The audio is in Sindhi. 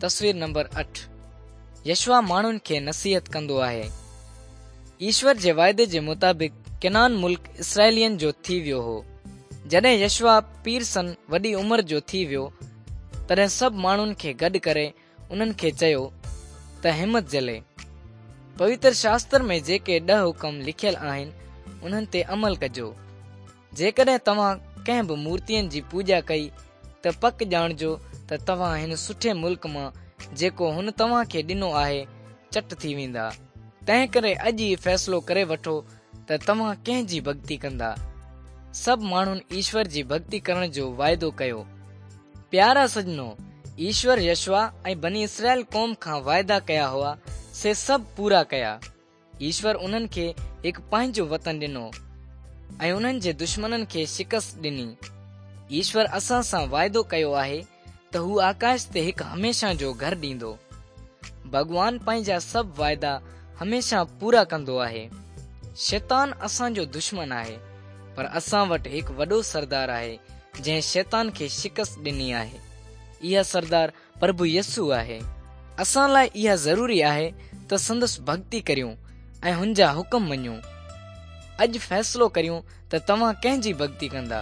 تصوير نمبر 8 يشوع ماڻهن کي نصيحت ڪندو آهي. ايشور جي واعدي جي مطابق ڪنعان ملڪ اسرائيلين جو ٿي ويو هو. جڏهن يشوع پيرسن وڏي عمر جو ٿي ويو، تڏهن سڀ ماڻهن کي گڏ ڪري انهن کي چيو ته همت جهلي پوتر شاستر ۾ جيڪي ڏهه حڪم لکيل آهن، انهن تي عمل ڪجو. جيڪڏهن توهان ڪنهن به مورتين جي پوڄا ڪئي ته پڪ ڄاڻجو ته توهان هن سٺي ملڪ مان جيڪو هن توهان کي ڏنو آهي چٽ ٿي ويندا. تنهنڪري اڄ ئي فيصلو ڪري وٺو ته توهان ڪنهن جي ڀڳتي ڪندا. سڀ ماڻهن ايشور جي ڀڳتي ڪرڻ جو واعدو ڪيو. پيارا سڄڻو، ايشور يشوع ۽ بني اسرائيل قوم کان واعدا ڪيا هئا، سي سڀ پورا ڪيا. ايشور انهن کي هڪ پنهنجو وطن ڏنو ۽ انهن جي دشمنن کي شڪست ڏني. ايشور اسان سان واعدو ڪيو آهي ته هو آڪاش تي هڪ هميشه جو گهر ڏيندو. ڀڳوان پنهنجا سڀ واعدا هميشه پورا ڪندو آهي. شيطان اسان جو دشمن آهي، پر اسان وٽ هڪ وڏو سردار آهي جنهن شيطان کي شڪست ڏني آهي. اها سردار پرڀو يسوع آهي. اسان لاء اها ضروري آهي ته سندس ڀڳتي ڪريون ۽ هن جا حڪم مڃون. اڄ فيصلو ڪريون ته توهان ڪنهن جي ڀڳتي ڪندا.